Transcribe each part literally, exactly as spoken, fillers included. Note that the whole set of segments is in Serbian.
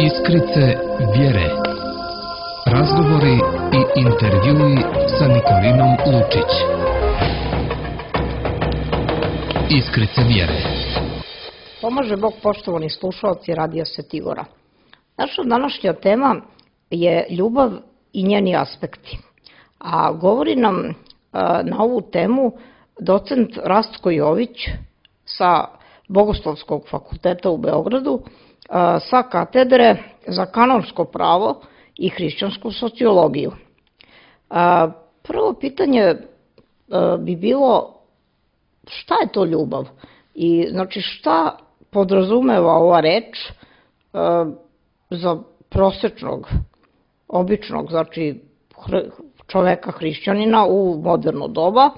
Iskrice vjere. Razgovori i intervjui sa Nikolinom Lučić. Iskrice vjere. Pomaže Bog, poštovani slušalci Radija Svetigora. Naša današnja tema je ljubav i njeni aspekti. A govori nam a, na ovu temu docent Rastko Jović sa Bogoslovskog fakulteta u Beogradu, a, sa katedre za kanonsko pravo i hrišćansku sociologiju. A, prvo pitanje a, bi bilo šta je to ljubav? I znači šta podrazumeva ova reč a, za prosečnog, običnog, znači čoveka hrišćanina u moderno doba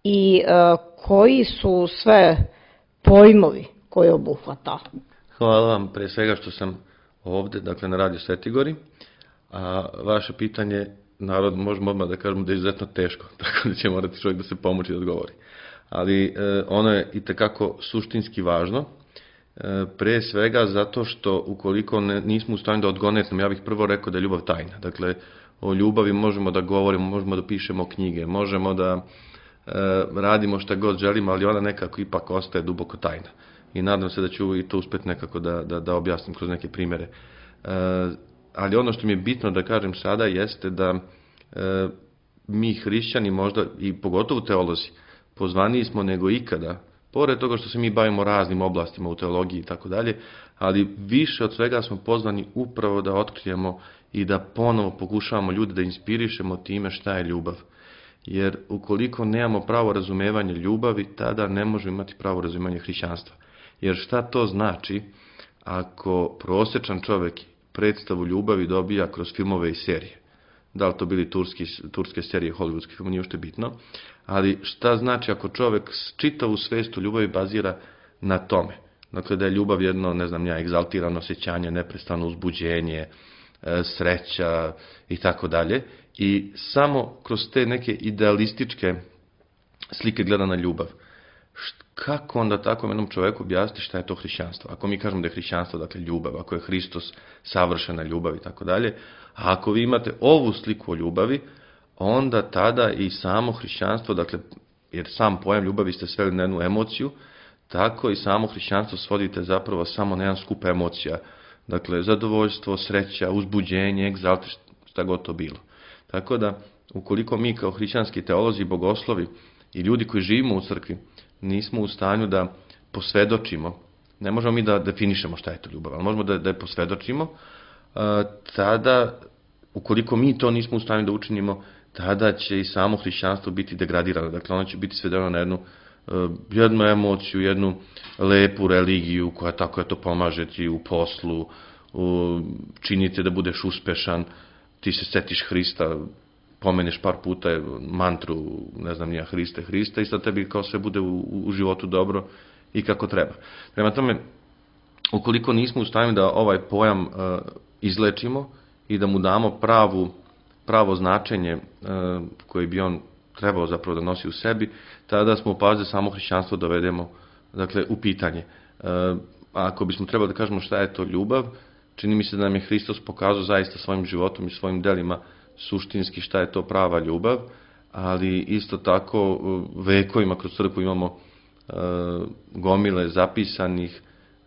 i a, koji su sve pojmovi koje obuhvata? Hvala vam pre svega što sam ovde, dakle na Radio Svetigori, a vaše pitanje, narod, možemo odmah da kažemo da je izuzetno teško, tako da će morati čovjek da se pomoći da odgovori. Ali e, ono je i tekako suštinski važno, e, pre svega zato što ukoliko ne, nismo u stanju da odgonetnemo, ja bih prvo rekao da je ljubav tajna. Dakle, o ljubavi možemo da govorimo, možemo da pišemo knjige, možemo da e, radimo šta god želimo, ali ona nekako ipak ostaje duboko tajna. I nadam se da ću i to uspjeti nekako da, da, da objasnim kroz neke primere. E, ali ono što mi je bitno da kažem sada jeste da e, mi hrišćani možda i pogotovo teolozi pozvaniji smo nego ikada, pored toga što se mi bavimo raznim oblastima u teologiji i tako dalje, ali više od svega smo pozvani upravo da otkrijemo i da ponovo pokušavamo ljude da inspirišemo time šta je ljubav. Jer ukoliko nemamo pravo razumevanje ljubavi, tada ne možemo imati pravo razumevanje hrišćanstva. Jer šta to znači ako prosječan čovjek predstavu ljubavi dobija kroz filmove i serije? Da li to bili turski, turske serije, hollywoodski film, nije ušte bitno. Ali šta znači ako čovjek čitavu svest u ljubavi bazira na tome? Dakle, da je ljubav jedno, ne znam ja, egzaltirano osjećanje, neprestano uzbuđenje, sreća i tako dalje. I samo kroz te neke idealističke slike gleda na ljubav. Kako onda takvom jednom čovjeku objasniti šta je to hrišćanstvo? Ako mi kažemo da je hrišćanstvo, dakle ljubav, ako je Hristos savršena ljubav i tako dalje, a ako vi imate ovu sliku o ljubavi, onda tada i samo hrišćanstvo, dakle, jer sam pojam ljubavi ste sveli na jednu emociju, tako i samo hrišćanstvo svodite zapravo samo na jedan skup emocija. Dakle, zadovoljstvo, sreća, uzbuđenje, egzalt, šta god to bilo. Tako da, ukoliko mi kao hrišćanski teolozi, bogoslovi i ljudi koji živimo u crkvi, nismo u stanju da posvedočimo, ne možemo mi da definišemo šta je to ljubav, ali možemo da, da je posvedočimo, tada, ukoliko mi to nismo u stanju da učinimo, tada će i samo hrišćanstvo biti degradirano. Dakle, ono će biti svedeno na jednu, jednu emociju, jednu lepu religiju koja tako je to pomaže ti u poslu, činite da budeš uspešan, ti se setiš Hrista, pomeneš par puta mantru, ne znam nija, Hriste, Hriste i sad tebi kao sve bude u, u životu dobro i kako treba. Prema tome, ukoliko nismo u stanju da ovaj pojam uh, izlečimo i da mu damo pravu, pravo značenje uh, koje bi on trebao zapravo da nosi u sebi, tada smo u pazi da samo hrišćanstvo dovedemo, dakle, u pitanje. Uh, a ako bismo trebali da kažemo šta je to ljubav, čini mi se da nam je Hristos pokazao zaista svojim životom i svojim delima suštinski šta je to prava ljubav, ali isto tako vekovima kroz crkvu imamo uh, gomile zapisanih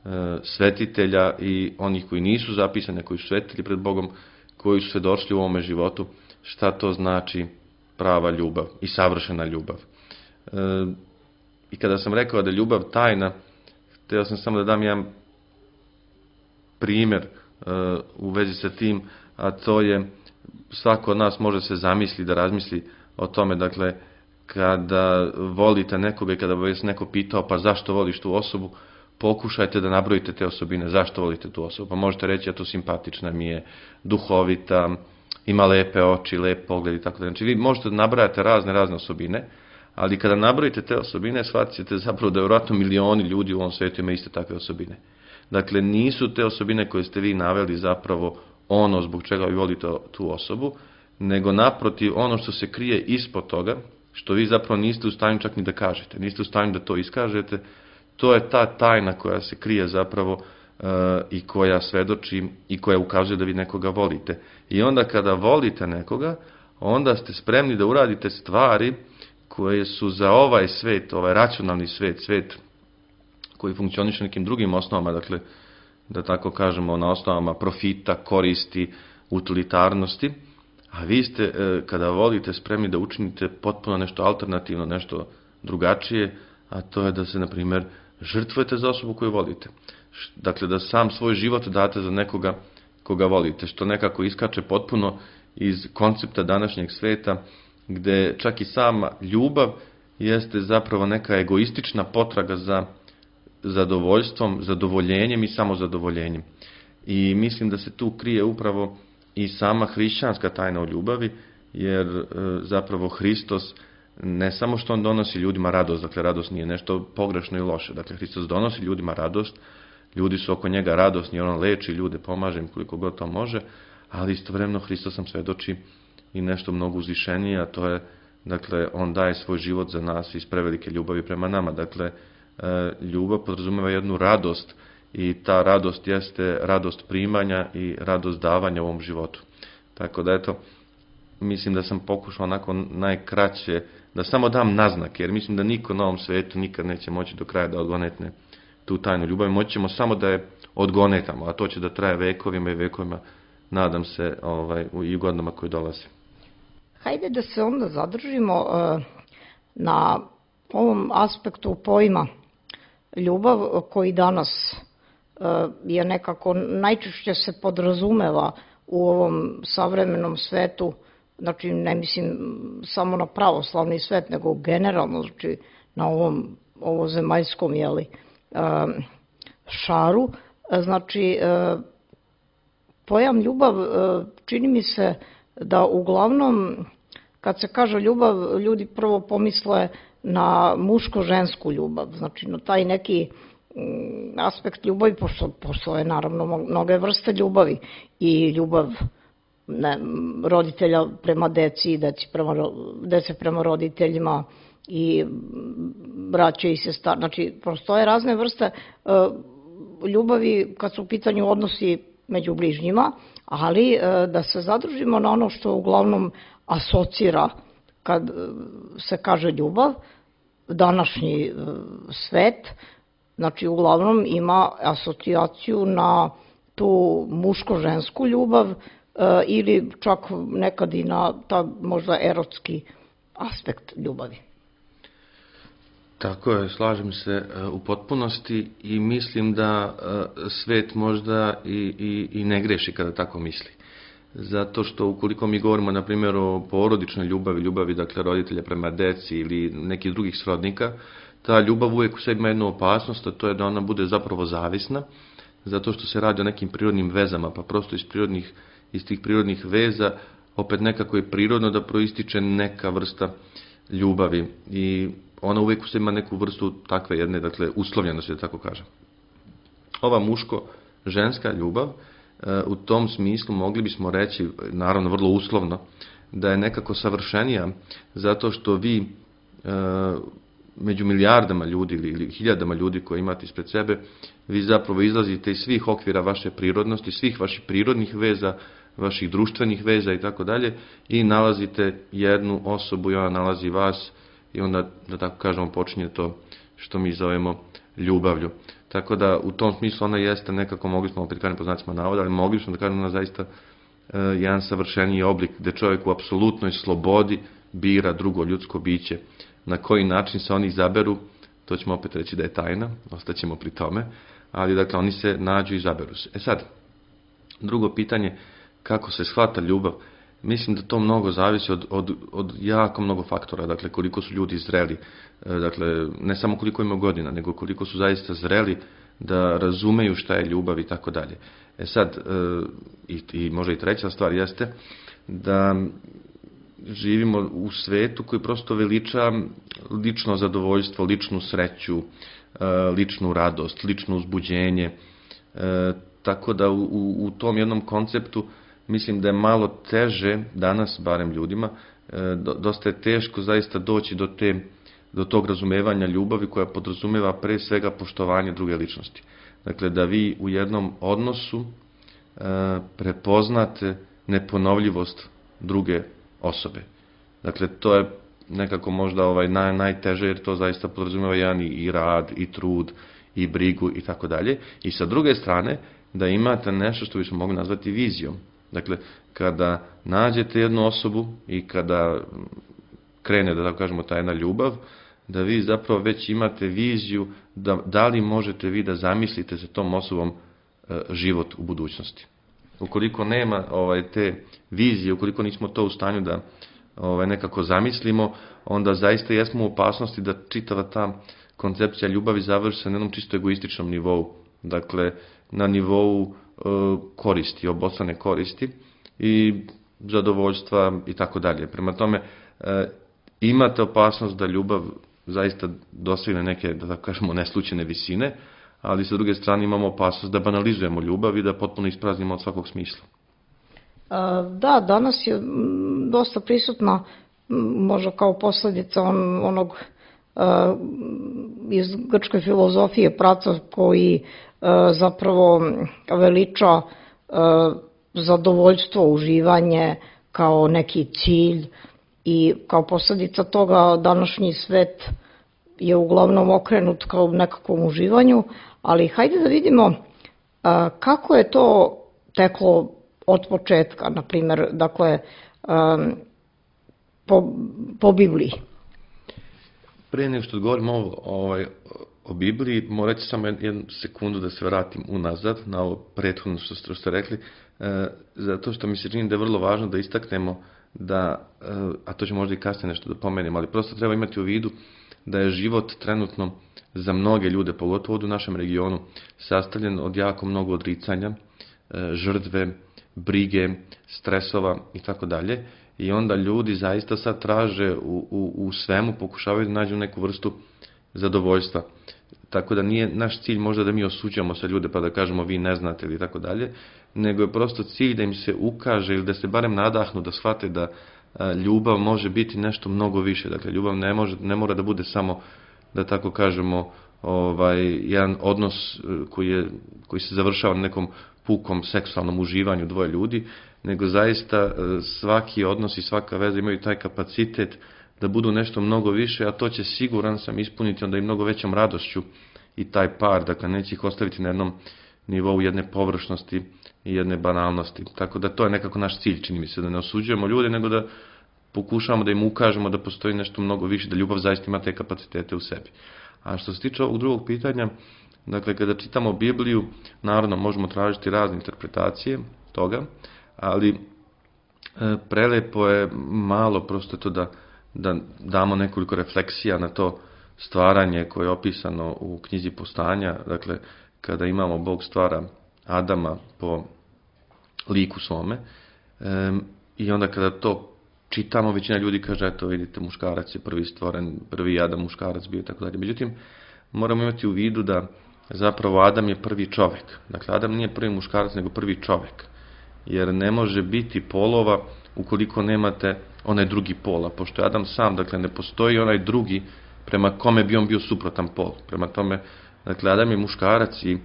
uh, svetitelja i onih koji nisu zapisani, koji su svetili pred Bogom, koji su svedočili u ovome životu šta to znači prava ljubav i savršena ljubav. Uh, I kada sam rekao da je ljubav tajna, htio sam samo da dam jedan primjer uh, u vezi sa tim, a to je svako od nas može se zamisli da razmisli o tome, dakle, kada volite nekoga i kada bi vas neko pitao pa zašto voliš tu osobu, pokušajte da nabrojite te osobine, zašto volite tu osobu. Pa možete reći, ja to simpatična mi je, duhovita, ima lepe oči, lep pogled i tako da. Znači vi možete da nabrajate razne, razne osobine, ali kada nabrojite te osobine, shvatit ćete zapravo da je vjerojatno milioni ljudi u ovom svijetu ima iste takve osobine. Dakle, nisu te osobine koje ste vi naveli zapravo ono zbog čega vi volite tu osobu, nego naprotiv ono što se krije ispod toga, što vi zapravo niste u stanju čak ni da kažete, niste u stanju da to iskažete, to je ta tajna koja se krije zapravo i koja svedoči i koja ukazuje da vi nekoga volite. I onda kada volite nekoga, onda ste spremni da uradite stvari koje su za ovaj svet, ovaj racionalni svet, svet koji funkcioniše nekim drugim osnovama, dakle, da tako kažemo, na osnovama profita, koristi, utilitarnosti, a vi ste, kada volite, spremni da učinite potpuno nešto alternativno, nešto drugačije, a to je da se, na primjer, žrtvujete za osobu koju volite. Dakle, da sam svoj život date za nekoga koga volite, što nekako iskače potpuno iz koncepta današnjeg sveta, gde čak i sama ljubav jeste zapravo neka egoistična potraga za zadovoljstvom, zadovoljenjem i samozadovoljenjem. I mislim da se tu krije upravo i sama hrišćanska tajna o ljubavi, jer zapravo Hristos ne samo što on donosi ljudima radost, dakle radost nije nešto pogrešno i loše, dakle Hristos donosi ljudima radost, ljudi su oko njega radosni, on leči ljude, pomaže im koliko god to može, ali istovremeno Hristos nam svedoči i nešto mnogo uzvišenije, a to je, dakle, on daje svoj život za nas iz prevelike ljubavi prema nama. Dakle, ljubav podrazumeva jednu radost i ta radost jeste radost primanja i radost davanja u ovom životu. Tako da, eto, mislim da sam pokušao onako najkraće da samo dam naznake, jer mislim da niko na ovom svetu nikad neće moći do kraja da odgonetne tu tajnu ljubavi. Moći ćemo samo da je odgonetamo, a to će da traje vekovima i vekovima, nadam se, ovaj, i godinama koje dolaze. Hajde da se onda zadržimo uh, na ovom aspektu pojma ljubav koji danas uh, je nekako najčešće se podrazumeva u ovom savremenom svetu, znači ne mislim samo na pravoslavni svet, nego generalno, znači na ovom ovozemaljskom, jeli, uh, šaru. Znači, uh, pojam ljubav, uh, čini mi se da uglavnom, kad se kaže ljubav, ljudi prvo pomisle na muško-žensku ljubav, znači na taj neki aspekt ljubavi, pošto postoje naravno mnoge vrste ljubavi i ljubav ne, roditelja prema deci, deci prema, dece prema roditeljima i braće i sestra, znači postoje razne vrste ljubavi kad su u pitanju odnosi među bližnjima, ali da se zadržimo na ono što uglavnom asocira kad se kaže ljubav, današnji svet, znači uglavnom ima asocijaciju na tu muško-žensku ljubav ili čak nekad i na ta možda erotski aspekt ljubavi. Tako je, slažem se u potpunosti i mislim da svet možda i, i, i ne greši kada tako misli. Zato što ukoliko mi govorimo, na primjer, o porodičnoj ljubavi, ljubavi, dakle, roditelja prema deci ili nekih drugih srodnika, ta ljubav uvijek u sebi ima jednu opasnost, a to je da ona bude zapravo zavisna, zato što se radi o nekim prirodnim vezama, pa prosto iz, prirodnih, iz tih prirodnih veza opet nekako je prirodno da proističe neka vrsta ljubavi i ona uvijek u sebi ima neku vrstu takve jedne, dakle, uslovljenosti, da tako kažem. Ova muško-ženska ljubav, u tom smislu mogli bismo reći, naravno vrlo uslovno, da je nekako savršenija, zato što vi među milijardama ljudi ili hiljadama ljudi koje imate ispred sebe, vi zapravo izlazite iz svih okvira vaše prirodnosti, svih vaših prirodnih veza, vaših društvenih veza i tako dalje i nalazite jednu osobu i ona nalazi vas i onda, da tako kažemo, počinje to što mi zovemo ljubavlju. Tako da u tom smislu ona jeste nekako, mogli smo opet kažem po znacima navoda, ali mogli smo da kažemo ona zaista uh, jedan savršeniji oblik gde čovjek u apsolutnoj slobodi bira drugo ljudsko biće. Na koji način se oni izaberu, to ćemo opet reći da je tajna, ostaćemo pri tome, ali dakle oni se nađu i izaberu se. E sad, drugo pitanje, kako se shvata ljubav, mislim da to mnogo zavisi od, od, od jako mnogo faktora, dakle koliko su ljudi zreli, dakle ne samo koliko imaju godina, nego koliko su zaista zreli da razumeju šta je ljubav i tako dalje. E sad, i, i možda i treća stvar jeste da živimo u svetu koji prosto veliča lično zadovoljstvo, ličnu sreću, ličnu radost, lično uzbuđenje, tako da u, u tom jednom konceptu mislim da je malo teže danas, barem ljudima, dosta je teško zaista doći do te do tog razumevanja ljubavi koja podrazumeva pre svega poštovanje druge ličnosti. Dakle, da vi u jednom odnosu e, prepoznate neponovljivost druge osobe. Dakle, to je nekako možda ovaj naj, najteže, jer to zaista podrazumeva jedan i, i rad, i trud, i brigu, i tako dalje. I sa druge strane, da imate nešto što bismo mogli nazvati vizijom. Dakle, kada nađete jednu osobu i kada krene, da tako kažemo, ta jedna ljubav, da vi zapravo već imate viziju da, da li možete vi da zamislite sa tom osobom e, život u budućnosti. Ukoliko nema ovaj, te vizije, ukoliko nismo to u stanju da ovaj, nekako zamislimo, onda zaista jesmo u opasnosti da čitava ta koncepcija ljubavi završi se na jednom čisto egoističnom nivou. Dakle, na nivou e, koristi, obostrane koristi i zadovoljstva i tako dalje. Prema tome, e, imate opasnost da ljubav zaista dosegne neke, da tako kažemo, neslučajne visine, ali sa druge strane imamo opasnost da banalizujemo ljubav i da potpuno ispraznimo od svakog smisla. Da, danas je dosta prisutna, možda kao posledica on, onog iz grčke filozofije Praca koji zapravo veliča zadovoljstvo, uživanje kao neki cilj i kao posledica toga današnji svet je uglavnom okrenut kao nekakvom uživanju, ali hajde da vidimo kako je to teklo od početka, na primjer, dakle, po, po Bibliji. Pre nego što govorimo o, ovaj, o Bibliji, morat ću samo jednu sekundu da se vratim unazad na ovo prethodno što, što ste rekli, e, zato što mi se čini da je vrlo važno da istaknemo da, e, a to će možda i kasnije nešto da pomenem, ali prosto treba imati u vidu da je život trenutno za mnoge ljude, pogotovo u našem regionu, sastavljen od jako mnogo odricanja, e, žrtve, brige, stresova i tako dalje. I onda ljudi zaista sad traže u, u, u svemu, pokušavaju da nađu neku vrstu zadovoljstva. Tako da nije naš cilj možda da mi osuđamo sa ljude pa da kažemo vi ne znate ili tako dalje, nego je prosto cilj da im se ukaže ili da se barem nadahnu da shvate da a, ljubav može biti nešto mnogo više. Dakle, ljubav ne, može, ne mora da bude samo, da tako kažemo, ovaj, jedan odnos koji, je, koji se završava na nekom pukom seksualnom uživanju dvoje ljudi, nego zaista svaki odnos i svaka veza imaju taj kapacitet da budu nešto mnogo više, a to će siguran sam ispuniti onda i mnogo većom radošću i taj par, dakle neće ih ostaviti na jednom nivou jedne površnosti i jedne banalnosti. Tako da to je nekako naš cilj, čini mi se, da ne osuđujemo ljude, nego da pokušavamo da im ukažemo da postoji nešto mnogo više, da ljubav zaista ima te kapacitete u sebi. A što se tiče ovog drugog pitanja, dakle kada čitamo Bibliju, naravno možemo tražiti razne interpretacije toga, ali e, prelepo je malo prosto to da, da damo nekoliko refleksija na to stvaranje koje je opisano u knjizi Postanja, dakle kada imamo Bog stvara Adama po liku svome e, i onda kada to čitamo, većina ljudi kaže, eto vidite, muškarac je prvi stvoren, prvi Adam muškarac bio i tako dalje. Međutim, moramo imati u vidu da zapravo Adam je prvi čovek. Dakle, Adam nije prvi muškarac, nego prvi čovek. Jer ne može biti polova ukoliko nemate onaj drugi pol. A pošto je Adam sam, dakle, ne postoji onaj drugi prema kome bi on bio suprotan pol. Prema tome, dakle, Adam je muškarac i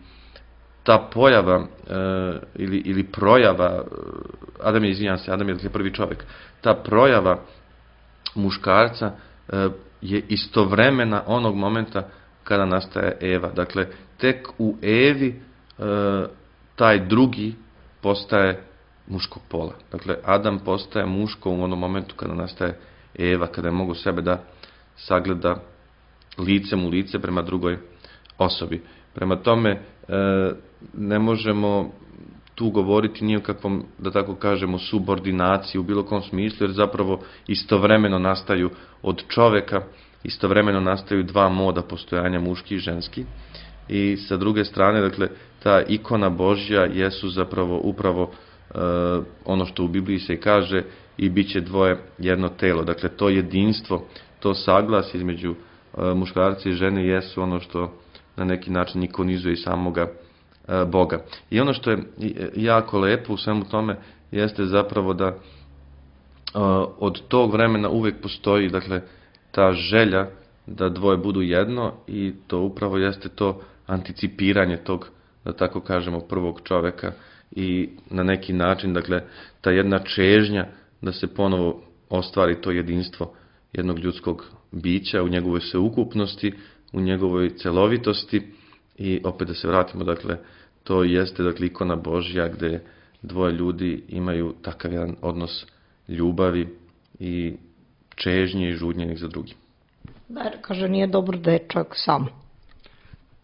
ta pojava e, ili, ili projava, Adam je, izvinjam se, Adam je dakle, prvi čovek, ta projava muškarca e, je istovremena onog momenta kada nastaje Eva. Dakle, tek u Evi e, taj drugi postaje muškog pola. Dakle, Adam postaje muško u onom momentu kada nastaje Eva, kada je mogo sebe da sagleda licem u lice prema drugoj osobi. Prema tome, e, ne možemo tu govoriti ni o kakvom, da tako kažemo, subordinaciji u bilo kom smislu, jer zapravo istovremeno nastaju od čoveka, istovremeno nastaju dva moda postojanja, muški i ženski. I sa druge strane, dakle, ta ikona Božja jesu zapravo upravo e, ono što u Bibliji se kaže i bit će dvoje jedno telo. Dakle, to jedinstvo, to saglas između e, muškarca i žene jesu ono što na neki način ikonizuje i samoga e, Boga. I ono što je jako lepo u svemu tome jeste zapravo da e, od tog vremena uvek postoji, dakle, ta želja da dvoje budu jedno i to upravo jeste to anticipiranje tog, da tako kažemo, prvog čoveka i na neki način, dakle, ta jedna čežnja da se ponovo ostvari to jedinstvo jednog ljudskog bića u njegovoj sveukupnosti, u njegovoj celovitosti i opet da se vratimo, dakle, to jeste, dakle, ikona Božja gde dvoje ljudi imaju takav jedan odnos ljubavi i čežnje i žudnje jednih za drugim. Da, jer kaže nije dobro da je čovjek sam.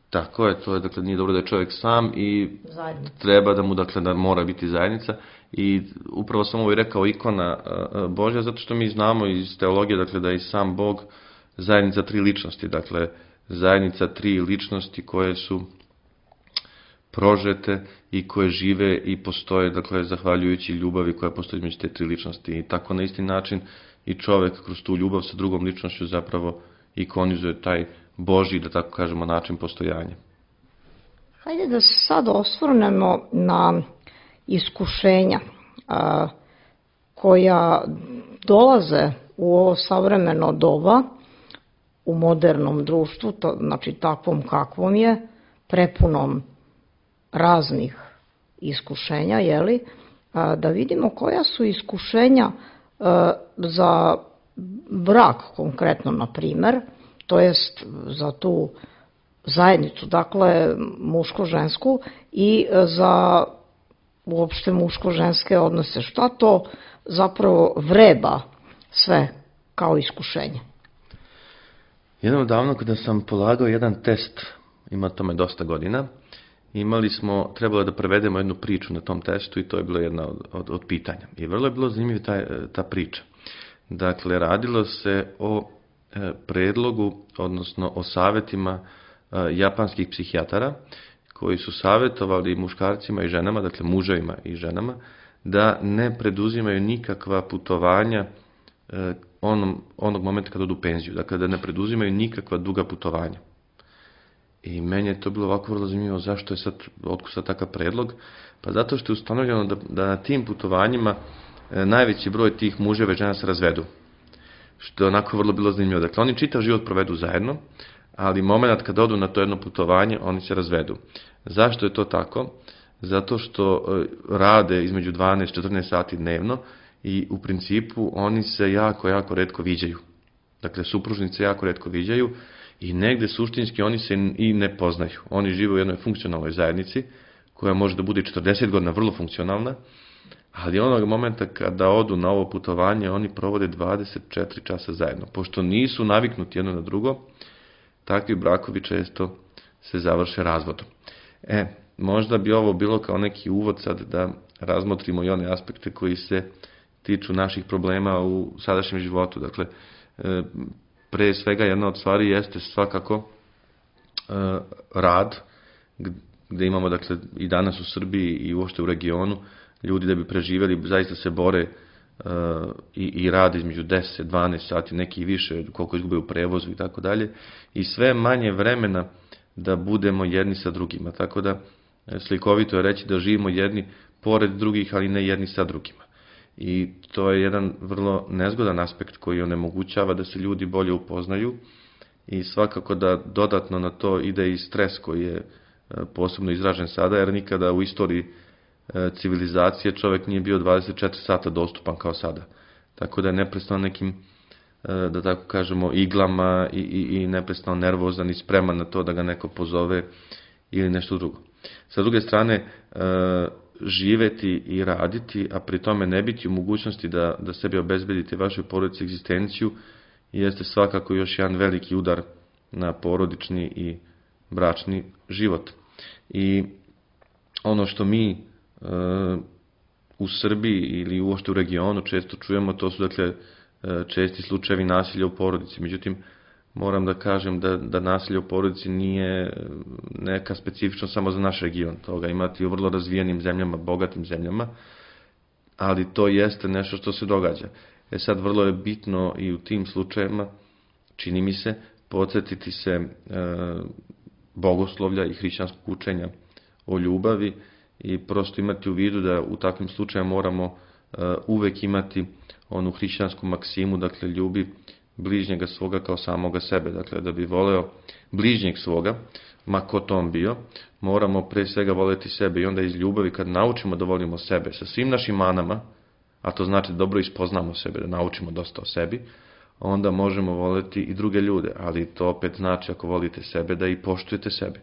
Tako je, to je, dakle, nije dobro da je čovjek sam i Zajednica. treba da mu, dakle, da mora biti zajednica i upravo sam ovo i rekao ikona Božja, zato što mi znamo iz teologije, dakle, da je i sam Bog zajednica tri ličnosti, dakle, zajednica tri ličnosti koje su prožete i koje žive i postoje, dakle, zahvaljujući ljubavi koja postoji između te tri ličnosti. I tako na isti način i čovjek kroz tu ljubav sa drugom ličnošću zapravo ikonizuje taj Božji, da tako kažemo, način postojanja. Hajde da se sad osvrnemo na iskušenja a, koja dolaze u ovo savremeno doba, u modernom društvu, to, znači takvom kakvom je, prepunom raznih iskušenja, jeli, a, da vidimo koja su iskušenja a, za brak konkretno, na primer, to jest za tu zajednicu, dakle muško-žensku i za uopšte muško-ženske odnose. Šta to zapravo vreba sve kao iskušenje? Jednom davno kada sam polagao jedan test, ima tome dosta godina, imali smo, trebalo da prevedemo jednu priču na tom testu i to je bilo jedna od, od, od pitanja. I vrlo je bilo zanimljiva ta, ta priča. Dakle, radilo se o e, predlogu, odnosno o savjetima e, japanskih psihijatara koji su savjetovali muškarcima i ženama, dakle muževima i ženama, da ne preduzimaju nikakva putovanja e, onom, onog momenta kad odu u penziju, dakle da ne preduzimaju nikakva duga putovanja. I meni je to bilo ovako vrlo zanimljivo, zašto je sad, otkud sad takav predlog? Pa zato što je ustanovljeno da, da na tim putovanjima e, najveći broj tih muževa i žena se razvedu. Što je onako vrlo bilo zanimljivo. Dakle, oni čitav život provedu zajedno, ali moment kad odu na to jedno putovanje, oni se razvedu. Zašto je to tako? Zato što e, rade između dvanaest do četrnaest sati dnevno i u principu oni se jako, jako retko viđaju. Dakle, supružnice jako retko viđaju i negde suštinski oni se i ne poznaju. Oni žive u jednoj funkcionalnoj zajednici koja može da bude četrdeset godina vrlo funkcionalna, ali onog momenta kada odu na ovo putovanje oni provode dvadeset četiri časa zajedno. Pošto nisu naviknuti jedno na drugo, takvi brakovi često se završe razvodom. E, možda bi ovo bilo kao neki uvod sad da razmotrimo i one aspekte koji se tiču naših problema u sadašnjem životu. Dakle, pre svega jedna od stvari jeste svakako rad, gde imamo, dakle, i danas u Srbiji i uopšte u regionu, ljudi da bi preživjeli zaista se bore i, i rade između deset do dvanaest sati, neki više, koliko izgube u prevozu i tako dalje, i sve manje vremena da budemo jedni sa drugima. Tako da slikovito je reći da živimo jedni pored drugih, ali ne jedni sa drugima. I to je jedan vrlo nezgodan aspekt koji onemogućava da se ljudi bolje upoznaju i svakako da dodatno na to ide i stres koji je posebno izražen sada, jer nikada u istoriji civilizacije čovjek nije bio dvadeset četiri sata dostupan kao sada. Tako da je neprestano nekim, da tako kažemo, iglama i, i, i neprestano nervozan i spreman na to da ga neko pozove ili nešto drugo. Sa druge strane, živeti i raditi, a pri tome ne biti u mogućnosti da, da sebi obezbedite vašoj porodici egzistenciju, jeste svakako još jedan veliki udar na porodični i bračni život. I ono što mi e, u Srbiji ili uopšte u regionu često čujemo, to su, dakle, česti slučajevi nasilja u porodici. Međutim, moram da kažem da, da nasilje u porodici nije neka specifično samo za naš region. Toga imati u vrlo razvijenim zemljama, bogatim zemljama, ali to jeste nešto što se događa. E sad, vrlo je bitno i u tim slučajevima, čini mi se, podsjetiti se e, bogoslovlja i hrišćanskog učenja o ljubavi i prosto imati u vidu da u takvim slučajevima moramo e, uvek imati onu hrišćansku maksimu, dakle, ljubi bližnjega svoga kao samoga sebe. Dakle, da bi voleo bližnjeg svoga, ma ko to on bio, moramo pre svega voleti sebe i onda iz ljubavi kad naučimo da volimo sebe sa svim našim manama, a to znači da dobro ispoznamo sebe, da naučimo dosta o sebi, onda možemo voleti i druge ljude, ali to opet znači ako volite sebe da i poštujete sebe.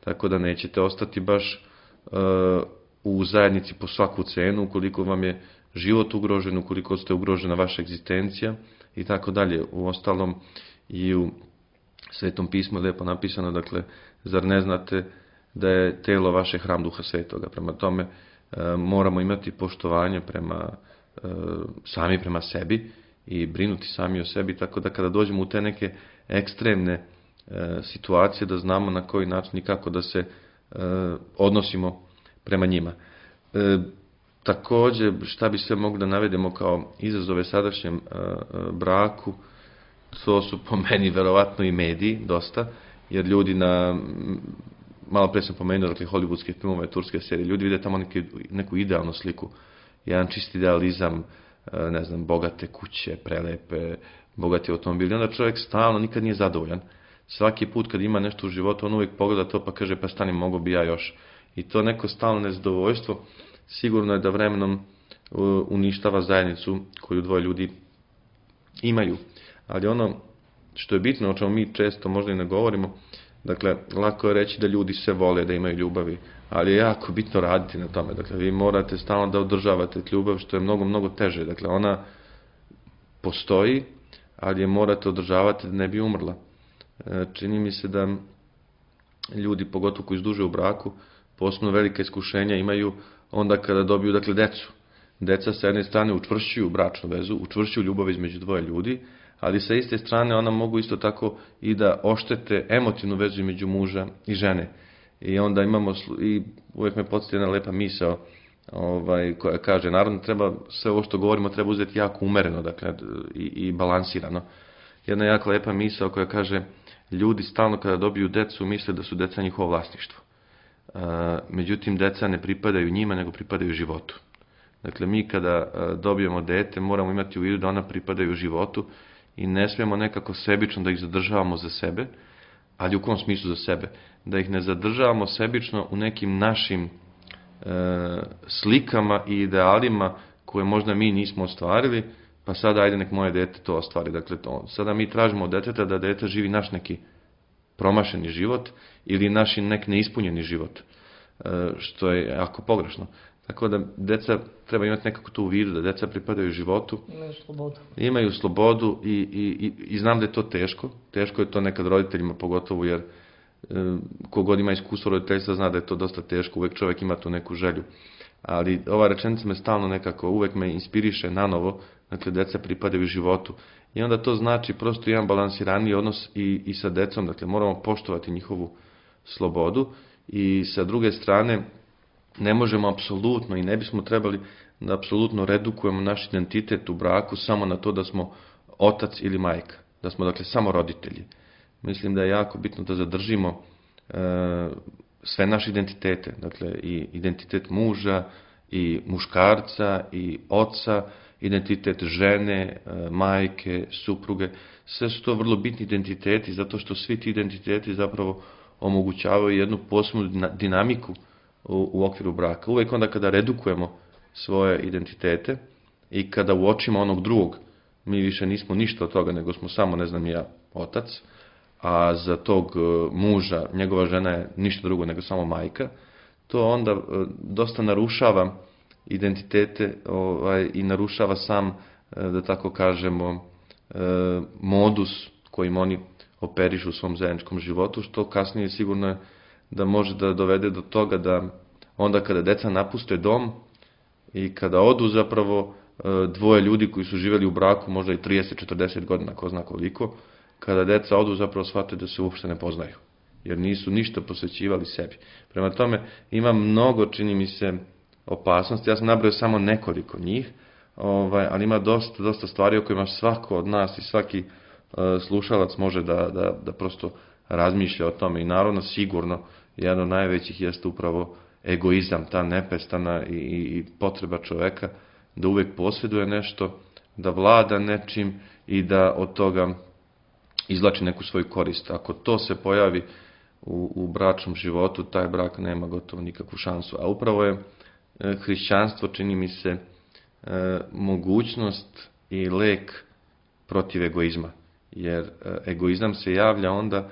Tako da nećete ostati baš uh, u zajednici po svaku cenu, ukoliko vam je život ugrožen, ukoliko ste ugrožena vaša egzistencija i tako dalje. U ostalom i u Svetom pismu je lijepo napisano, dakle, zar ne znate da je telo vaše hram Duha Svetoga. Prema tome uh, moramo imati poštovanje prema uh, sami prema sebi i brinuti sami o sebi, tako da kada dođemo u te neke ekstremne e, situacije, da znamo na koji način i kako da se e, odnosimo prema njima. E, također, šta bi se mogli da navedemo kao izazove sadašnjem e, braku, to su po meni verovatno i mediji, dosta, jer ljudi na, malo pre sam pomenuo, dakle, hollywoodske filmove, turske serije, ljudi vide tamo neki, neku idealnu sliku, jedan čisti idealizam, ne znam, bogate kuće, prelepe, bogati automobili. Onda čovjek stalno nikad nije zadovoljan. Svaki put kad ima nešto u životu, on uvijek pogleda to pa kaže, pa stani, mogo bi ja još. I to neko stalno nezadovoljstvo sigurno je da vremenom uništava zajednicu koju dvoje ljudi imaju. Ali ono što je bitno, o čemu mi često možda i ne govorimo, dakle, lako je reći da ljudi se vole, da imaju ljubavi, ali je jako bitno raditi na tome. Dakle, vi morate stalno da održavate ljubav, što je mnogo, mnogo teže. Dakle, ona postoji, ali je morate održavati da ne bi umrla. Čini mi se da ljudi, pogotovo koji izduže u braku, posebno velike iskušenja imaju onda kada dobiju, dakle, decu. Deca sa jedne strane učvršćuju bračnu vezu, učvršćuju ljubav između dvoje ljudi, ali sa iste strane ona mogu isto tako i da oštete emotivnu vezu između muža i žene. I onda imamo, i uvijek me podsjeti jedna lepa misao, ovaj, koja kaže, naravno treba, sve ovo što govorimo treba uzeti jako umereno, dakle, i, i balansirano. Jedna jako lepa misao koja kaže, ljudi stalno kada dobiju decu misle da su deca njihovo vlasništvo. Uh, međutim, deca ne pripadaju njima, nego pripadaju životu. Dakle, mi kada uh, dobijemo dete, moramo imati u vidu da ona pripadaju životu i ne smijemo nekako sebično da ih zadržavamo za sebe, ali u kom smislu za sebe? Da ih ne zadržavamo sebično u nekim našim e, slikama i idealima koje možda mi nismo ostvarili, pa sada ajde nek moje dete to ostvari. Dakle, to, sada mi tražimo od deteta da dete živi naš neki promašeni život ili naš nek neispunjeni život, e, što je jako pogrešno. Tako da deca treba imati nekako tu u vidu, da deca pripadaju životu. Imaju slobodu. Imaju slobodu i, i, i, i znam da je to teško. Teško je to nekad roditeljima, pogotovo jer e, kogod ima iskustvo roditeljstva zna da je to dosta teško. Uvijek čovjek ima tu neku želju. Ali ova rečenica me stalno nekako, uvijek me inspiriše nanovo. Dakle, deca pripadaju životu. I onda to znači prosto jedan balansiraniji odnos i, i sa decom. Dakle, moramo poštovati njihovu slobodu i sa druge strane ne možemo apsolutno i ne bismo trebali da apsolutno redukujemo naš identitet u braku samo na to da smo otac ili majka, da smo dakle samo roditelji. Mislim da je jako bitno da zadržimo e, sve naše identitete, dakle i identitet muža i muškarca i oca, identitet žene, e, majke, supruge, sve su to vrlo bitni identiteti zato što svi ti identiteti zapravo omogućavaju jednu posebnu dinamiku U, u okviru braka. Uvijek onda kada redukujemo svoje identitete i kada uočimo onog drugog, mi više nismo ništa od toga, nego smo samo, ne znam ja, otac, a za tog muža, njegova žena je ništa drugo nego samo majka, to onda dosta narušava identitete ovaj, i narušava sam, da tako kažemo, modus kojim oni operišu u svom zajedničkom životu, što kasnije sigurno je da može da dovede do toga da onda kada deca napuste dom i kada odu zapravo dvoje ljudi koji su živjeli u braku možda i trideset četrdeset godina, ko zna koliko, kada deca odu zapravo shvate da se uopšte ne poznaju, jer nisu ništa posvećivali sebi. Prema tome ima mnogo, čini mi se, opasnosti, ja sam nabrojao samo nekoliko njih, ovaj, ali ima dosta, dosta stvari o kojima svako od nas i svaki uh, slušalac može da, da, da prosto razmišlja o tome i naravno sigurno jedan od najvećih jeste upravo egoizam, ta nepestana i, i potreba čoveka da uvijek posjeduje nešto, da vlada nečim i da od toga izvlači neku svoju korist. Ako to se pojavi u, u bračnom životu, taj brak nema gotovo nikakvu šansu. A upravo je e, hrišćanstvo, čini mi se, e, mogućnost i lek protiv egoizma. Jer e, egoizam se javlja onda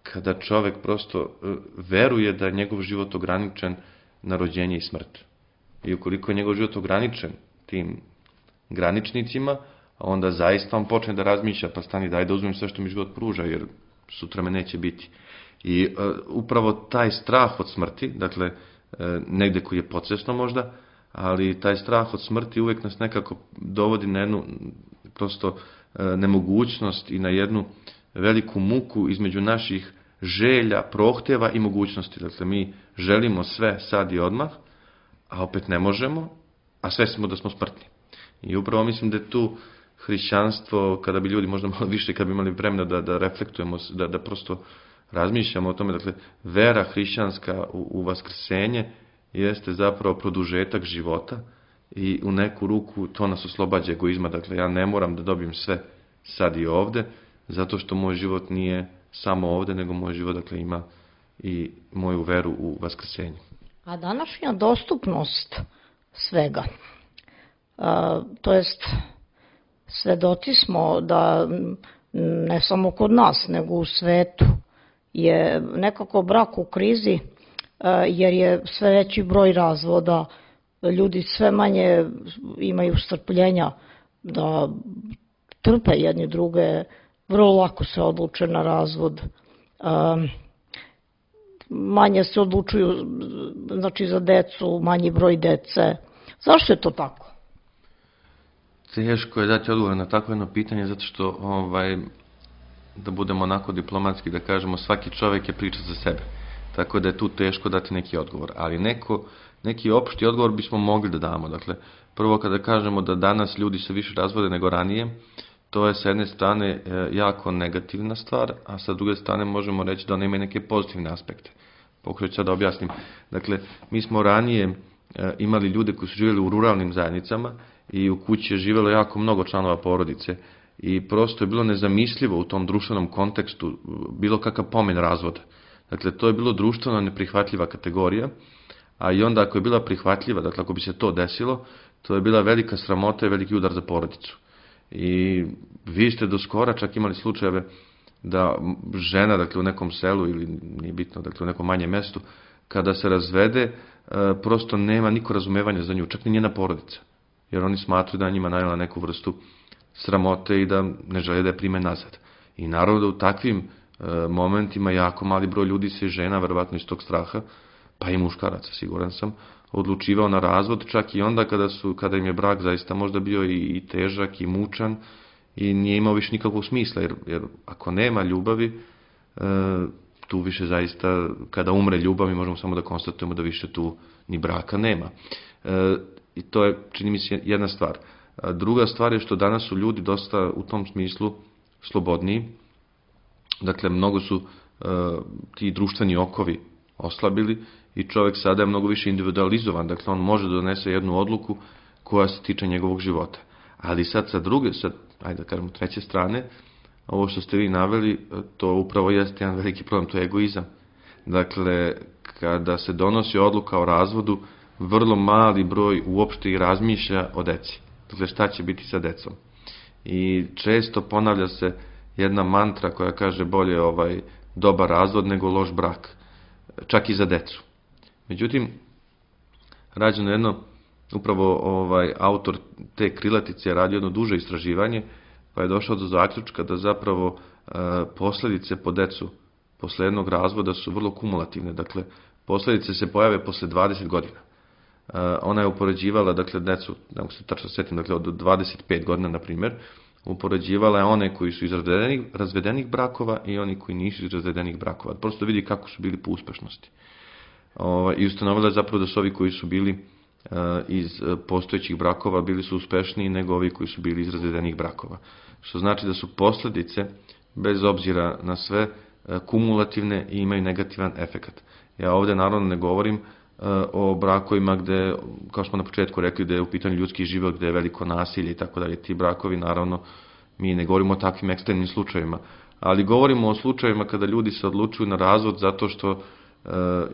kada čovek prosto e, veruje da je njegov život ograničen na rođenje i smrt. I ukoliko je njegov život ograničen tim graničnicima, onda zaista on počne da razmišlja, pa stani, daj da uzmem sve što mi život pruža, jer sutra me neće biti. I e, upravo taj strah od smrti, dakle, e, negde koji je podsvesno možda, ali taj strah od smrti uvek nas nekako dovodi na jednu prosto e, nemogućnost i na jednu veliku muku između naših želja, prohtjeva i mogućnosti. Dakle, mi želimo sve sad i odmah, a opet ne možemo, a sve smo da smo smrtni. I upravo mislim da je tu hrišćanstvo, kada bi ljudi možda malo više, kada bi imali vremena da, da reflektujemo, da, da prosto razmišljamo o tome, dakle, vera hrišćanska u, u vaskrsenje jeste zapravo produžetak života i u neku ruku to nas oslobađa egoizma. Dakle, ja ne moram da dobijem sve sad i ovde, zato što moj život nije samo ovde, nego moj život, dakle, ima i moju veru u vaskrsenje. A današnja dostupnost svega, a, to jest svedoci smo da ne samo kod nas, nego u svetu je nekako brak u krizi, a, jer je sve veći broj razvoda, ljudi sve manje imaju strpljenja da trpe jedni druge, vrlo lako se odluče na razvod, a, manje se odlučuju, znači, za decu, manji broj dece. Zašto je to tako? Teško je dati odgovor na takvo jedno pitanje, zato što, ovaj, da budemo onako diplomatski, da kažemo, svaki čovjek je priča za sebe. Tako da je tu teško dati neki odgovor. Ali neko, neki opšti odgovor bismo mogli da damo. Dakle, prvo kada kažemo da danas ljudi se više razvode nego ranije, to je sa jedne strane jako negativna stvar, a sa druge strane možemo reći da ona ima neke pozitivne aspekte. Pokušat ću da objasnim. Dakle, mi smo ranije imali ljude koji su živjeli u ruralnim zajednicama i u kući je živjelo jako mnogo članova porodice i prosto je bilo nezamislivo u tom društvenom kontekstu bilo kakav pomen razvoda. Dakle, to je bilo društveno neprihvatljiva kategorija, a i onda ako je bila prihvatljiva, dakle ako bi se to desilo, to je bila velika sramota i veliki udar za porodicu. I vi ste do skora čak imali slučajeve da žena, dakle u nekom selu ili nije bitno, dakle u nekom manjem mestu, kada se razvede, prosto nema niko razumevanja za nju, čak ni njena porodica. Jer oni smatruju da njima najela neku vrstu sramote i da ne žele da je prime nazad. I naravno da u takvim momentima jako mali broj ljudi se žena, verovatno iz tog straha, pa i muškaraca, siguran sam, odlučivao na razvod, čak i onda kada, su, kada im je brak zaista možda bio i, i težak i mučan i nije imao više nikakvog smisla, jer, jer ako nema ljubavi, e, tu više zaista, kada umre ljubav, mi možemo samo da konstatujemo da više tu ni braka nema. E, I to je, čini mi se, jedna stvar. A druga stvar je što danas su ljudi dosta u tom smislu slobodniji. Dakle, mnogo su e, ti društveni okovi oslabili i čovjek sada je mnogo više individualizovan. Dakle, on može da donese jednu odluku koja se tiče njegovog života. Ali sad sa druge, sad, ajde da kažemo treće strane, ovo što ste vi naveli, to upravo jeste jedan veliki problem, to je egoizam. Dakle, kada se donosi odluka o razvodu, vrlo mali broj uopšte i razmišlja o deci. Dakle, šta će biti sa decom. I često ponavlja se jedna mantra koja kaže bolje ovaj dobar razvod nego loš brak. Čak i za decu. Međutim, rađeno jedno, upravo ovaj autor te krilatice je radio jedno duže istraživanje, pa je došao do zaključka da zapravo e, posljedice po decu posle jednog razvoda su vrlo kumulativne. Dakle, posljedice se pojave posle dvadeset godina. E, ona je upoređivala, dakle, decu, ne mogu se tačno setim, dakle, od dvadeset pet godina, na primjer, upoređivala je one koji su iz razvedenih, razvedenih brakova i oni koji nisu iz razvedenih brakova. Prosto vidi kako su bili po uspešnosti. O, I ustanovila je zapravo da su ovi koji su bili e, iz postojećih brakova bili su uspešniji nego ovi koji su bili iz razvedenih brakova. Što znači da su posljedice, bez obzira na sve, e, kumulativne i imaju negativan efekat. Ja ovde naravno ne govorim e, o brakovima gde, kao smo na početku rekli, da je u pitanju ljudski život, gde je veliko nasilje i tako dalje. Ti brakovi naravno Mi ne govorimo o takvim ekstremnim slučajevima, ali govorimo o slučajevima kada ljudi se odlučuju na razvod zato što e,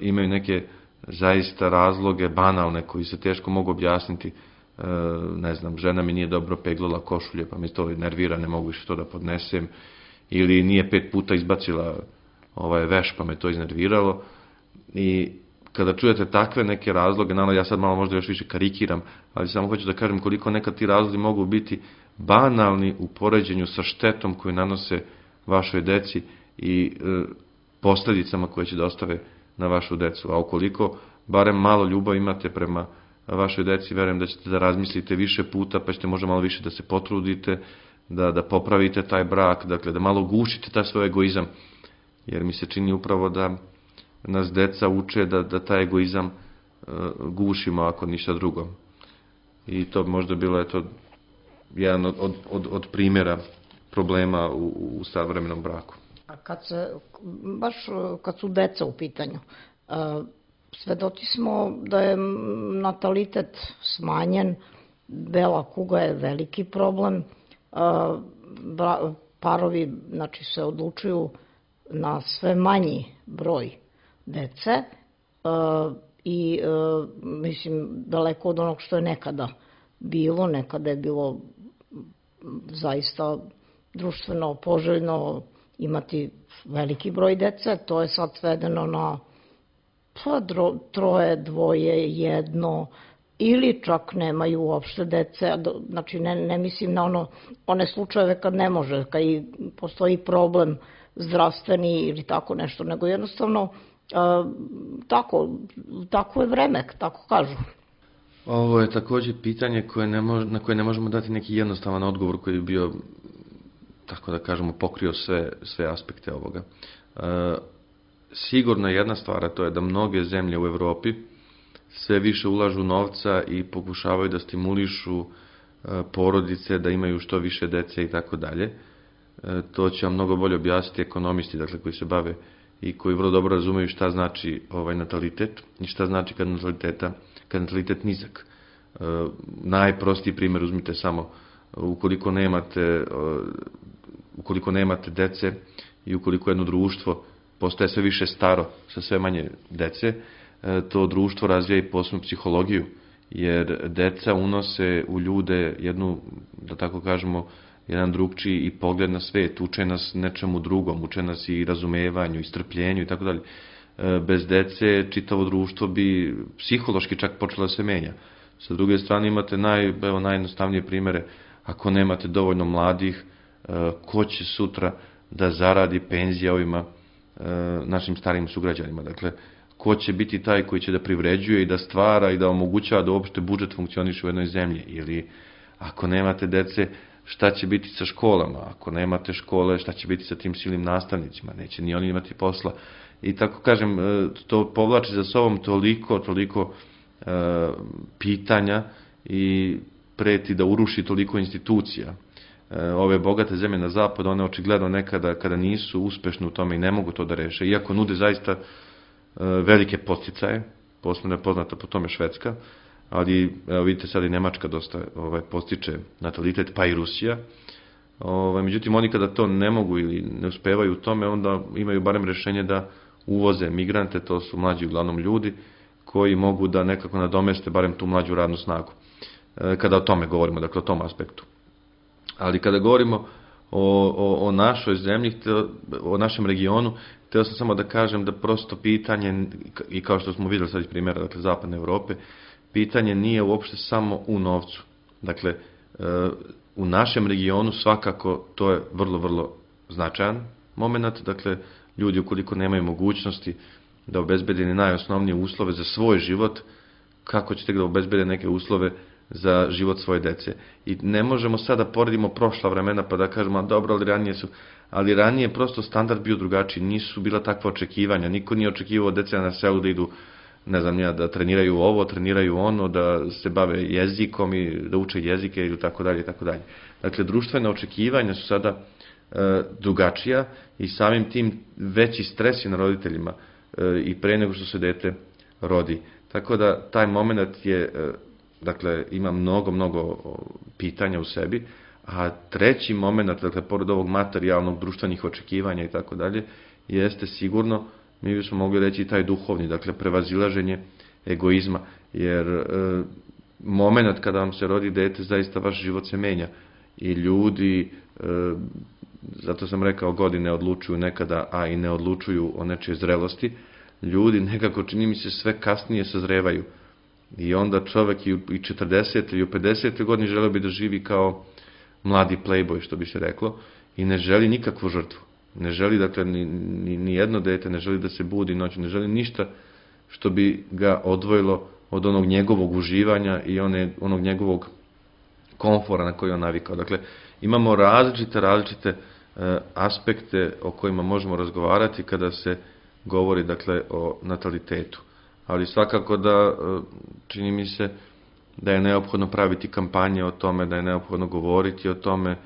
imaju neke zaista razloge banalne koji se teško mogu objasniti. E, ne znam, žena mi nije dobro peglala košulje pa me to nervira, ne mogu više to da podnesem, ili nije pet puta izbacila ovaj veš pa me to iznerviralo. I kada čujete takve neke razloge, naravno ja sad malo možda još više karikiram, ali samo hoću da kažem koliko nekad ti razlozi mogu biti banalni u poređenju sa štetom koju nanose vašoj deci i e, posljedicama koje će da ostave na vašu decu. A ukoliko barem malo ljubav imate prema vašoj deci, verujem da ćete da razmislite više puta, pa ćete možda malo više da se potrudite, da, da popravite taj brak, dakle da malo gušite taj svoj egoizam, jer mi se čini upravo da nas deca uče da, da taj egoizam uh, gušimo ako ništa drugo. I to bi možda bilo eto, jedan od, od, od primjera problema u, u savremenom braku. A kad se, baš kad su deca u pitanju, uh, svedoci smo da je natalitet smanjen, bela kuga je veliki problem, uh, bra, parovi znači, se odlučuju na sve manji broj dece uh, i uh, mislim daleko od onog što je nekada bilo, nekada je bilo zaista društveno poželjno imati veliki broj dece, to je sad svedeno na pa, dro, troje, dvoje, jedno, ili čak nemaju uopšte dece, znači ne, ne mislim na ono, one slučajeve kad ne može, kad i postoji problem zdravstveni ili tako nešto, nego jednostavno uh, tako, tako je vreme, tako kažu. Ovo je također pitanje koje ne mož, na koje ne možemo dati neki jednostavan odgovor koji bi bio, tako da kažemo, pokrio sve, sve aspekte ovoga. Uh, sigurno jedna stvar, a to je da mnoge zemlje u Evropi sve više ulažu novca i pokušavaju da stimulišu uh, porodice, da imaju što više dece i tako dalje. To će vam mnogo bolje objasniti ekonomisti, dakle, koji se bave i koji vrlo dobro razumeju šta znači ovaj natalitet i šta znači kad nataliteta, kad natalitet nizak. E, najprostiji primjer uzmite samo, ukoliko nemate, ukoliko nemate dece i ukoliko jedno društvo postaje sve više staro sa sve manje dece, e, to društvo razvija i posebnu psihologiju, jer deca unose u ljude jednu, da tako kažemo, jedan drugčiji i pogled na svet, uče nas nečemu drugom, uče nas i razumevanju, i strpljenju i tako dalje. Bez dece čitavo društvo bi psihološki čak počelo da se menja. Sa druge strane imate naj, evo, najjednostavnije primere, ako nemate dovoljno mladih, ko će sutra da zaradi penzije ovima našim starim sugrađanima. Dakle, ko će biti taj koji će da privređuje i da stvara i da omogućava da uopšte budžet funkcioniše u jednoj zemlji. Ili ako nemate dece, šta će biti sa školama, ako nemate škole, šta će biti sa tim silnim nastavnicima, neće ni oni imati posla. I tako kažem, to povlači za sobom toliko, toliko e, pitanja i preti da uruši toliko institucija. E, ove bogate zemlje na zapad, one očigledno nekada kada nisu uspešne u tome i ne mogu to da reše, iako nude zaista e, velike podsticaje, posebno je poznata po tome Švedska, ali evo vidite sad i Nemačka dosta ovaj, postiče natalitet, pa i Rusija. Ovaj, međutim, oni kada to ne mogu ili ne uspevaju u tome, onda imaju barem rešenje da uvoze migrante, to su mlađi uglavnom ljudi, koji mogu da nekako nadomeste barem tu mlađu radnu snagu. E, kada o tome govorimo, dakle o tom aspektu. Ali kada govorimo o, o, o našoj zemlji, o našem regionu, htio sam samo da kažem da prosto pitanje, i kao što smo vidjeli sad iz primjera, dakle zapadne Evrope, pitanje nije uopšte samo u novcu. Dakle, u našem regionu svakako to je vrlo, vrlo značajan moment. Dakle, ljudi ukoliko nemaju mogućnosti da obezbede najosnovnije uslove za svoj život, kako ćete da obezbede neke uslove za život svoje dece. I ne možemo sada poredimo prošla vremena pa da kažemo, dobro, ali ranije su, ali ranije prosto standard bio drugačiji, nisu bila takva očekivanja, niko nije očekivao dece na selu da idu, ne znam ja, da treniraju ovo, treniraju ono, da se bave jezikom i da uče jezike ili tako dalje i tako dalje. Dakle, društvene očekivanja su sada e, drugačija i samim tim veći stres je na roditeljima e, i pre nego što se dete rodi. Tako da taj moment je, e, dakle, ima mnogo, mnogo pitanja u sebi, A treći moment, dakle, pored ovog materijalnog, društvenih očekivanja i tako dalje, jeste sigurno, mi bismo mogli reći, taj duhovni, dakle, prevazilaženje egoizma, jer e, moment kada vam se rodi dete, zaista vaš život se menja i ljudi, e, zato sam rekao, godine odlučuju nekada, a i ne odlučuju o nečije zrelosti, ljudi nekako, čini mi se, sve kasnije sazrevaju i onda čovek i u četrdesete i u pedesete godini želeo bi da živi kao mladi playboy, što bi se reklo, i ne želi nikakvu žrtvu. Ne želi, dakle, ni, ni, ni jedno dete, ne želi da se budi noć, ne želi ništa što bi ga odvojilo od onog njegovog uživanja i one, onog njegovog komfora na koji on navikao. Dakle, imamo različite, različite e, aspekte o kojima možemo razgovarati kada se govori, dakle, o natalitetu. Ali svakako da, e, čini mi se, da je neophodno praviti kampanje o tome, da je neophodno govoriti o tome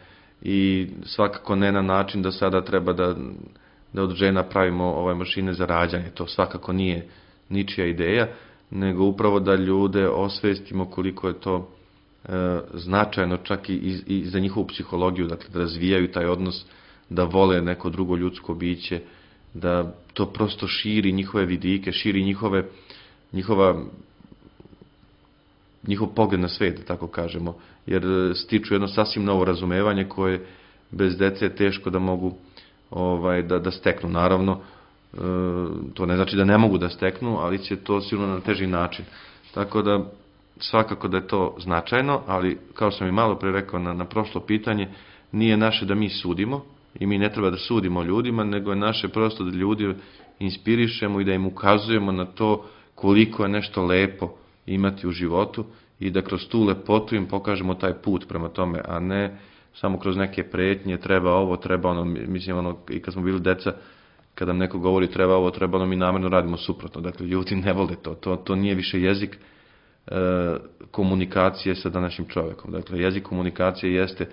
i svakako ne na način da sada treba da, da od žena pravimo ove mašine za rađanje. To svakako nije ničija ideja, nego upravo da ljude osvestimo koliko je to e, značajno čak i, i, i za njihovu psihologiju, dakle da razvijaju taj odnos, da vole neko drugo ljudsko biće, da to prosto širi njihove vidike, širi njihove, njihova njihov pogled na svet, da tako kažemo, jer stiču jedno sasvim novo razumevanje koje bez dece je teško da mogu ovaj, da, da steknu. Naravno, e, to ne znači da ne mogu da steknu, ali će to sigurno na teži način. Tako da, svakako da je to značajno, ali kao sam i malo pre rekao na, na prošlo pitanje, nije naše da mi sudimo i mi ne treba da sudimo ljudima, nego je naše prosto da ljudi inspirišemo i da im ukazujemo na to koliko je nešto lepo imati u životu i da kroz tu lepotu im pokažemo taj put prema tome, a ne samo kroz neke pretnje, treba ovo, treba ono, mislim ono, i kad smo bili deca, kada nam neko govori treba ovo, treba ono, mi namjerno radimo suprotno. Dakle, ljudi ne vole to, to, to nije više jezik e, komunikacije sa današnjim čovekom. Dakle, jezik komunikacije jeste e,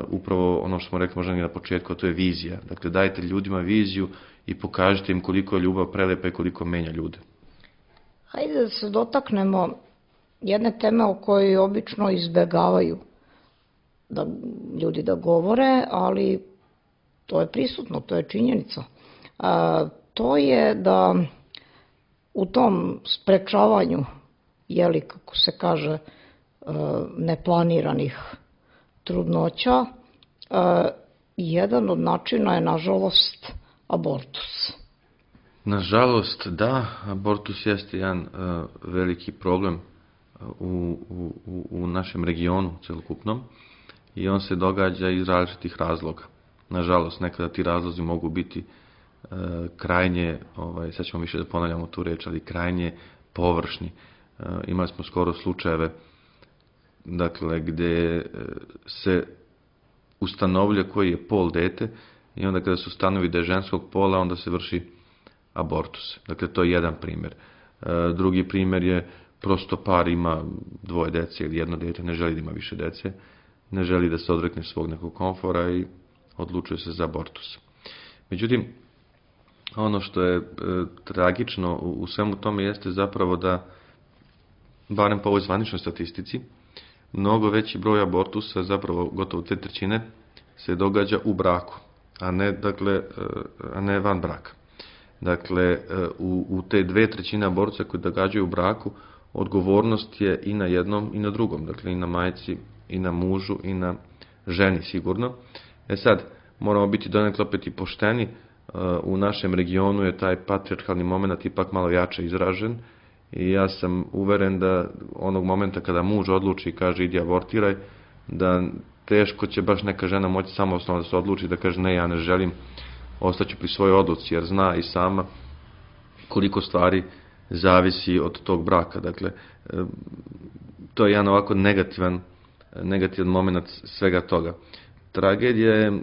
upravo ono što smo rekli možda na početku, a to je vizija. Dakle, dajte ljudima viziju i pokažite im koliko je ljubav prelepa i koliko menja ljude. Hajde da se dotaknemo jedne teme o kojoj obično izbegavaju da ljudi da govore, ali to je prisutno, to je činjenica. A, to je da u tom sprečavanju, jeli, kako se kaže, neplaniranih trudnoća, a, jedan od načina je, nažalost, abortus. Nažalost, da, abortus jeste jedan uh, veliki problem u, u, u našem regionu celokupnom i on se događa iz različitih razloga. Nažalost, nekada ti razlozi mogu biti uh, krajnje, ovaj, sad ćemo više da ponavljamo tu reč, ali krajnje površni. Uh, imali smo skoro slučajeve, dakle, gde uh, se ustanovlja koji je pol dete i onda kada se ustanovi da je ženskog pola, onda se vrši abortus. Dakle, to je jedan primjer. E, drugi primjer je prosto par ima dvoje dece ili jedno dete, ne želi da ima više dece, ne želi da se odrekne svog nekog komfora i odlučuje se za abortus. Međutim, ono što je e, tragično u, u svemu tome jeste zapravo da, barem po ovoj zvaničnoj statistici, mnogo veći broj abortusa, zapravo gotovo te trećine, se događa u braku, a ne, dakle, a ne van braka. Dakle, u, u te dve trećine abortusa koji događaju u braku, odgovornost je i na jednom i na drugom. Dakle, i na majci, i na mužu, i na ženi sigurno. E sad, moramo biti donekle opet i pošteni. U našem regionu je taj patrijarhalni moment ipak malo jače izražen. I ja sam uveren da onog momenta kada muž odluči i kaže idi abortiraj, da teško će baš neka žena moći samostalno da se odluči da kaže ne, ja ne želim, ostaću pri svojoj odluci, jer zna i sama koliko stvari zavisi od tog braka. Dakle, to je jedan ovako negativan, negativan moment svega toga. Tragedija je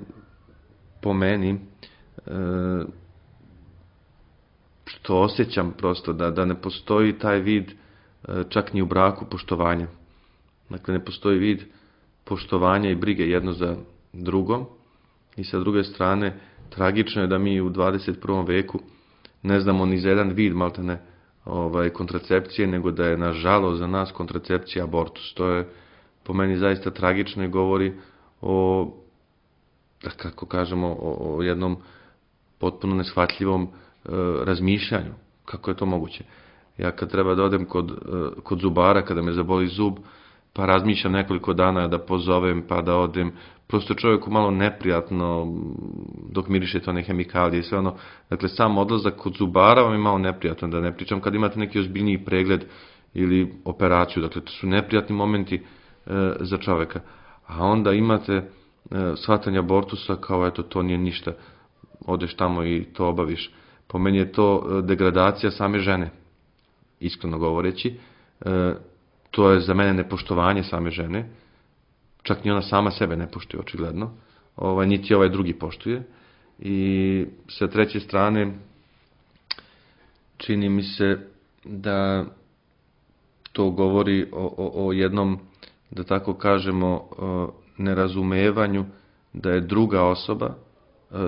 po meni što osjećam prosto da, da ne postoji taj vid čak ni u braku poštovanja. Dakle, ne postoji vid poštovanja i brige jedno za drugom i sa druge strane tragično je da mi u dvadeset prvom veku ne znamo ni za jedan vid maltene ovaj, kontracepcije, nego da je nažalost za nas kontracepcija abortus. To je po meni zaista tragično i govori o, da kako kažemo, o, o jednom potpuno neshvatljivom e, razmišljanju. Kako je to moguće? Ja kad treba da odem kod, e, kod zubara, kada me zaboli zub, pa razmišljam nekoliko dana da pozovem, pa da odem, prosto čovjeku malo neprijatno dok miriše to one hemikalije i sve ono. Dakle, sam odlazak kod zubara vam je malo neprijatno, da ne pričam kad imate neki ozbiljniji pregled ili operaciju. Dakle, to su neprijatni momenti e, za čovjeka. A onda imate e, shvatanje abortusa kao eto, to nije ništa. Odeš tamo i to obaviš. Po meni je to degradacija same žene, iskreno govoreći. E, to je za mene nepoštovanje same žene. Čak ni ona sama sebe ne poštuje, očigledno. Ovaj, niti ovaj drugi poštuje. I sa treće strane, čini mi se da to govori o, o, o jednom, da tako kažemo, nerazumevanju da je druga osoba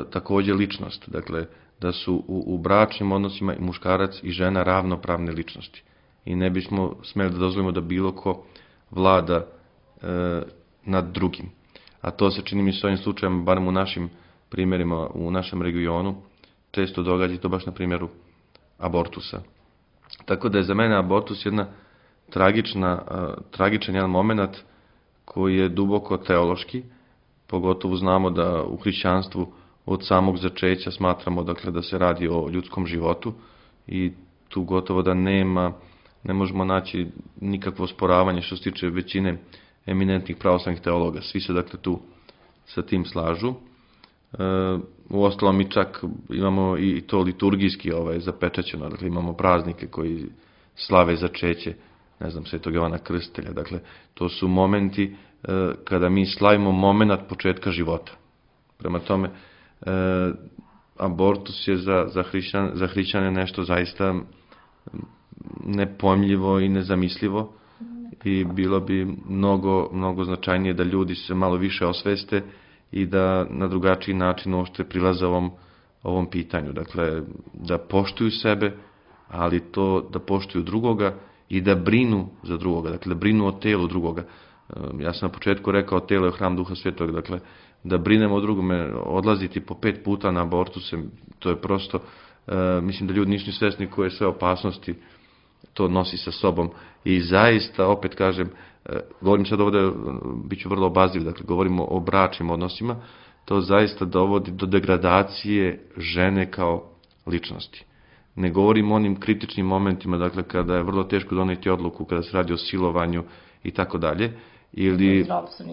također ličnost. Dakle, da su u, u bračnim odnosima i muškarac i žena ravnopravne ličnosti. I ne bismo smeli da dozvolimo da bilo ko vlada e, nad drugim. A to se čini mi se ovim slučajem, barem u našim primjerima, u našem regionu, često događa, to baš na primjeru abortusa. Tako da je za mene abortus jedna tragična, uh, tragičan jedan moment koji je duboko teološki, pogotovo znamo da u hrišćanstvu od samog začeća smatramo, dakle, da se radi o ljudskom životu i tu gotovo da nema, ne možemo naći nikakvo osporavanje što se tiče većine eminentnih pravoslavnih teologa. Svi se, dakle, tu sa tim slažu. E, uostalom mi čak imamo i to liturgijski ovaj, zapečaćeno, dakle, imamo praznike koji slave začeće, ne znam, Svetog Jovana Krstitelja. Dakle, to su momenti e, kada mi slavimo moment početka života. Prema tome, e, abortus je za, za, hrišćan, za hrišćane nešto zaista nepojmljivo i nezamislivo i bilo bi mnogo, mnogo značajnije da ljudi se malo više osveste i da na drugačiji način uopšte prilaze ovom, ovom pitanju. Dakle, da poštuju sebe, ali to da poštuju drugoga i da brinu za drugoga, dakle da brinu o telu drugoga. Ja sam na početku rekao, telo je hram Duha Svetog, dakle da brinemo o drugome, odlaziti po pet puta na abortuse, to je prosto, mislim da ljudi nisu ni svesni koje sve opasnosti to nosi sa sobom. I zaista, opet kažem, govorim sad ovdje, bit ću vrlo obazriv, dakle govorimo o bračnim odnosima, to zaista dovodi do degradacije žene kao ličnosti. Ne govorim o onim kritičnim momentima, dakle kada je vrlo teško doneti odluku, kada se radi o silovanju i tako dalje, ili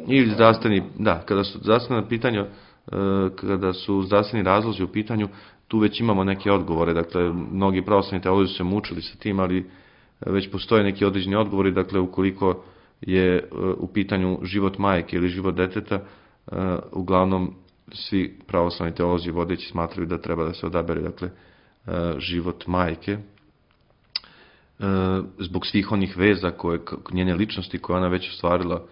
ili zdravstveni, da, kada su zdravstvena pitanja, kada su zdravstveni razlozi u pitanju, tu već imamo neke odgovore, dakle mnogi pravoslavni teolozi su se mučili sa tim, ali već postoje neki određeni odgovori, dakle ukoliko je u pitanju život majke ili život deteta, uglavnom svi pravoslavni teolozi vodeći smatraju da treba da se odabere, dakle, život majke, zbog svih onih veza koje, njene ličnosti koje ona već ostvarila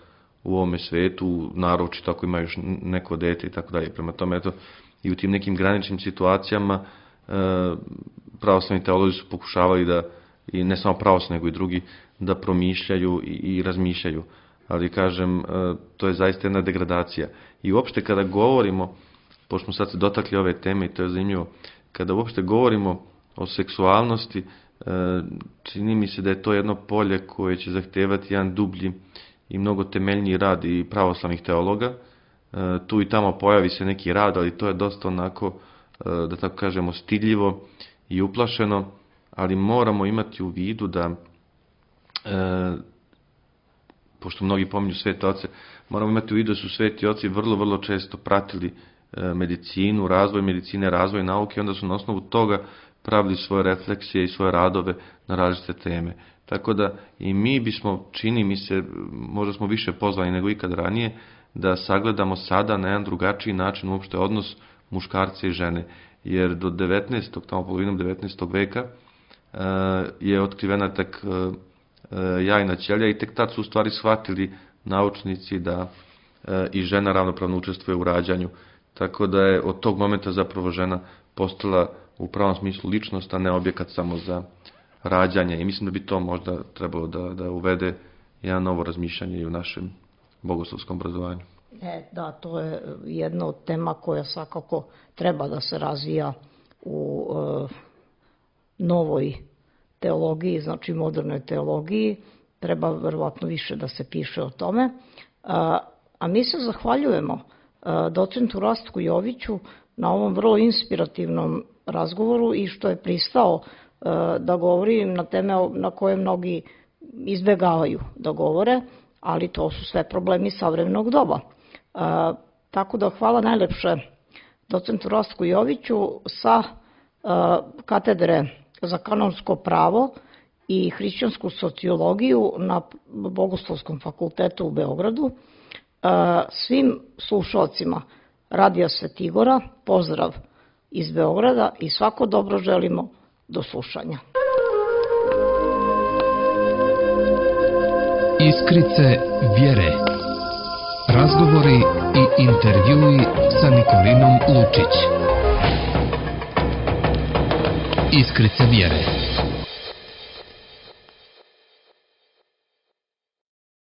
u ovome svetu, naročito ako ima još neko dete i tako dalje. Prema tome, eto, i u tim nekim graničnim situacijama pravoslavni teolozi su pokušavali da, i ne samo pravoslavni, nego i drugi, da promišljaju i, i razmišljaju. Ali, kažem, to je zaista jedna degradacija. I uopšte kada govorimo, pošto smo sad se dotakli ove teme i to je zanimljivo, kada uopšte govorimo o seksualnosti, čini mi se da je to jedno polje koje će zahtevati jedan dublji i mnogo temeljniji rad i pravoslavnih teologa. Tu i tamo pojavi se neki rad, ali to je dosta onako, da tako kažemo, stidljivo i uplašeno, ali moramo imati u vidu da, pošto mnogi pominju svete oce, moramo imati u vidu da su sveti oci vrlo, vrlo često pratili medicinu, razvoj medicine, razvoj nauke, onda su na osnovu toga pravili svoje refleksije i svoje radove na različite teme. Tako da i mi bismo, čini mi se, možda smo više pozvani nego ikad ranije, da sagledamo sada na jedan drugačiji način uopšte odnos muškarca i žene. Jer do devetnaestog, tamo polovinom devetnaestog veka je otkrivena tek jajna ćelija i tek tad su u stvari shvatili naučnici da i žena ravnopravno učestvuje u rađanju. Tako da je od tog momenta zapravo žena postala u pravom smislu ličnost, a ne objekat samo za rađanje. I mislim da bi to možda trebalo da, da uvede jedan novo razmišljanje i u našem bogoslovskom obrazovanju. E, da, to je jedna od tema koja svakako treba da se razvija u e, novoj teologiji, znači modernoj teologiji. Treba verovatno više da se piše o tome. A, a mi se zahvaljujemo a, docentu Rastku Joviću na ovom vrlo inspirativnom razgovoru i što je pristao a, da govori na teme na koje mnogi izbegavaju da govore, ali to su sve problemi savremenog doba. A, tako da hvala najlepše docentu Rastku Joviću sa a, katedre za kanonsko pravo i hrišćansku sociologiju na Bogoslovskom fakultetu u Beogradu. Svim slušalcima Radija Svetigora pozdrav iz Beograda i svako dobro želimo. Do slušanja. Iskrice vjere. Razgovori i intervjui sa Nikolinom Lučić. Iskrice vjere.